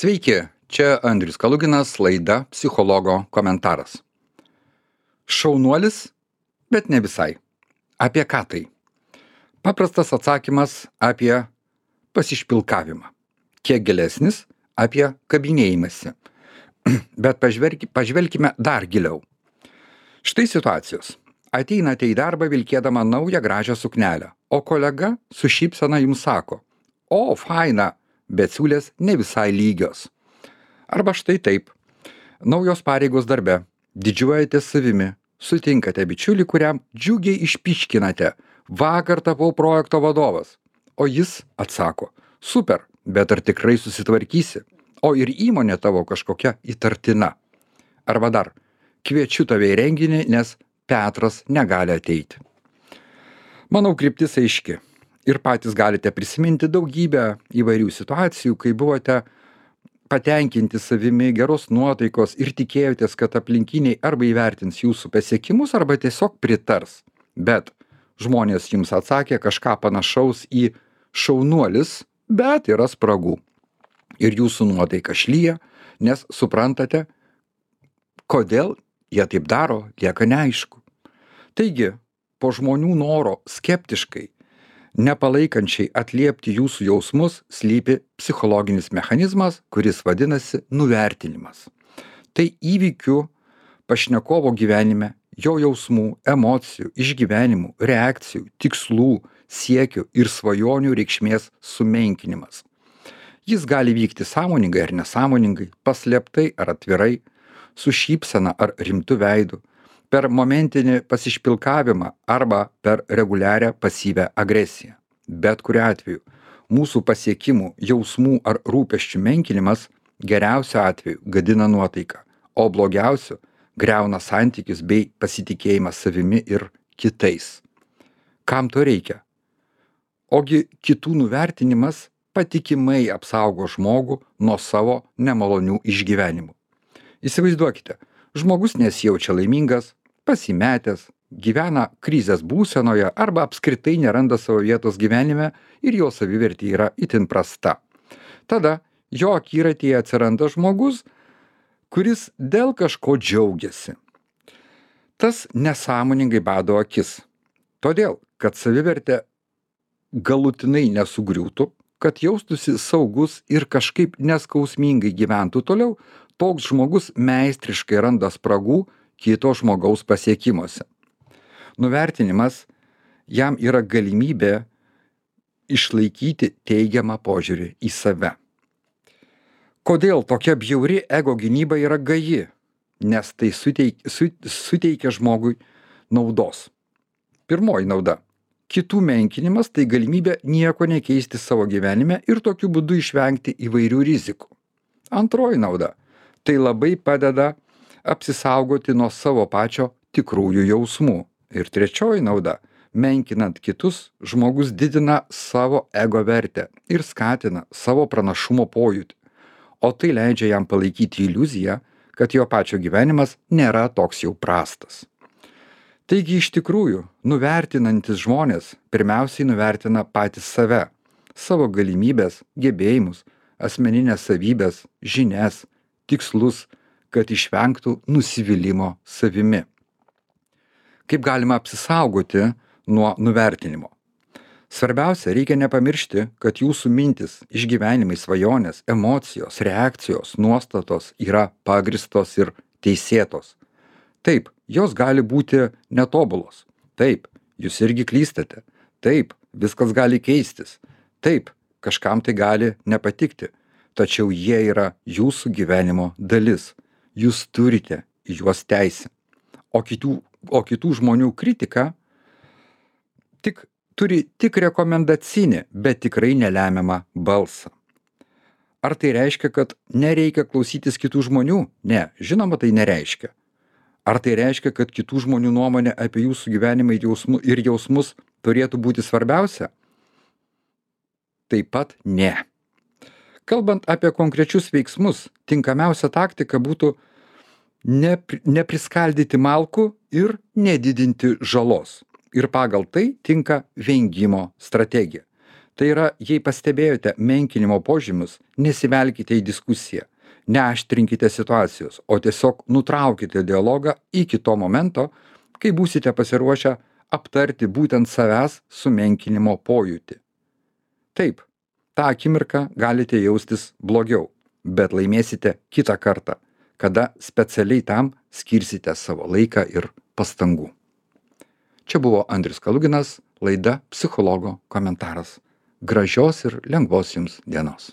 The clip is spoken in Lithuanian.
Sveiki, čia Andrius Kaluginas, laida Psichologo komentaras. Šaunuolis, bet ne visai. Apie ką tai? Paprastas atsakymas apie pasišpilkavimą. Kiek gilesnis apie kabinėjimąsi. Bet pažvelkime dar giliau. Štai situacijos. Ateinate į darbą vilkėdama naują gražią suknelę, o kolega su šypsena jums sako: "O, faina, bet siūlės ne visai lygios." Arba štai taip. Naujos pareigos darbe, didžiuojatės savimi, sutinkate bičiulį, kuriam džiugiai išpyškinate: "Vakar tapau projekto vadovas." O jis atsako: "Super, bet ar tikrai susitvarkysi? O ir įmonė tavo kažkokia įtartina." Arba dar: "Kviečiu tave į renginį, nes Petras negali ateiti." Manau, kryptis aiški. Ir patys galite prisiminti daugybę įvairių situacijų, kai buvote patenkinti savimi, geros nuotaikos ir tikėjotės, kad aplinkiniai arba įvertins jūsų pasiekimus, arba tiesiog pritars. Bet žmonės jums atsakė kažką panašaus į "šaunuolis, bet yra spragų." Ir jūsų nuotaika šlyja, nes suprantate, kodėl jie taip daro, lieka neaišku. Taigi, po žmonių noro skeptiškai, nepalaikančiai atliepti jūsų jausmus slypi psichologinis mechanizmas, kuris vadinasi nuvertinimas. Tai įvykių pašnekovo gyvenime, jo jausmų, emocijų, išgyvenimų, reakcijų, tikslų, siekių ir svajonių reikšmės sumenkinimas. Jis gali vykti sąmoningai ar nesąmoningai, paslėptai ar atvirai, su šypsena ar rimtu veidu, per momentinį pasišpilkavimą arba per reguliarią pasyvią agresiją. Bet kuriuo atveju, mūsų pasiekimų, jausmų ar rūpesčių menkinimas geriausiu atveju gadina nuotaiką, o blogiausiu griauna santykius bei pasitikėjimą savimi ir kitais. Kam to reikia? Ogi kitų nuvertinimas patikimai apsaugo žmogų nuo savo nemalonių išgyvenimų. Įsivaizduokite, žmogus nesijaučia laimingas, pasimetęs, gyvena krizės būsenoje arba apskritai neranda savo vietos gyvenime ir jo savivertė yra itin prasta. Tada jo akiratyje atsiranda žmogus, kuris dėl kažko džiaugiasi. Tas nesąmoningai bado akis. Todėl, kad savivertė galutinai nesugriūtų, kad jaustųsi saugus ir kažkaip neskausmingai gyventų toliau, toks žmogus meistriškai randa spragų kito žmogaus pasiekimuose. Nuvertinimas jam yra galimybė išlaikyti teigiamą požiūrį į save. Kodėl tokia bjauri ego gynyba yra gaji? Nes tai suteikia žmogui naudos. Pirmoji nauda. Kitų menkinimas tai galimybė nieko nekeisti savo gyvenime ir tokiu būdu išvengti įvairių rizikų. Antroji nauda. Tai labai padeda apsisaugoti nuo savo pačio tikrųjų jausmų. Ir trečioji nauda. Menkinant kitus, žmogus didina savo ego vertę ir skatina savo pranašumo pojūtį. O tai leidžia jam palaikyti iliuziją, kad jo pačio gyvenimas nėra toks jau prastas. Taigi iš tikrųjų, nuvertinantis žmonės pirmiausiai nuvertina patys save, savo galimybės, gebėjimus, asmeninės savybės, žinias, tikslus, kad išvengtų nusivylimo savimi. Kaip galima apsisaugoti nuo nuvertinimo? Svarbiausia, reikia nepamiršti, kad jūsų mintis, išgyvenimai, svajonės, emocijos, reakcijos, nuostatos yra pagristos ir teisėtos. Taip, jos gali būti netobulos. Taip, jūs irgi klystate. Taip, viskas gali keistis. Taip, kažkam tai gali nepatikti. Tačiau jie yra jūsų gyvenimo dalis. Jūs turite į juos teisę. O kitų žmonių kritika turi tik rekomendacinį, bet tikrai nelemiamą balsą. Ar tai reiškia, kad nereikia klausytis kitų žmonių? Ne, žinoma, tai nereiškia. Ar tai reiškia, kad kitų žmonių nuomonė apie jūsų gyvenimą ir jausmus turėtų būti svarbiausia? Taip pat ne. Kalbant apie konkrečius veiksmus, tinkamiausia taktika būtų nepriskaldyti malkų ir nedidinti žalos. Ir pagal tai tinka vengimo strategija. Tai yra, jei pastebėjote menkinimo požymius, nesivelkite į diskusiją, neaštrinkite situacijos, o tiesiog nutraukite dialogą iki to momento, kai būsite pasiruošę aptarti būtent savęs sumenkinimo pojūtį. Taip, tą akimirką galite jaustis blogiau, bet laimėsite kitą kartą, kada specialiai tam skirsite savo laiką ir pastangų. Čia buvo Andrius Kaluginas, laida Psichologo komentaras. Gražios ir lengvos jums dienos.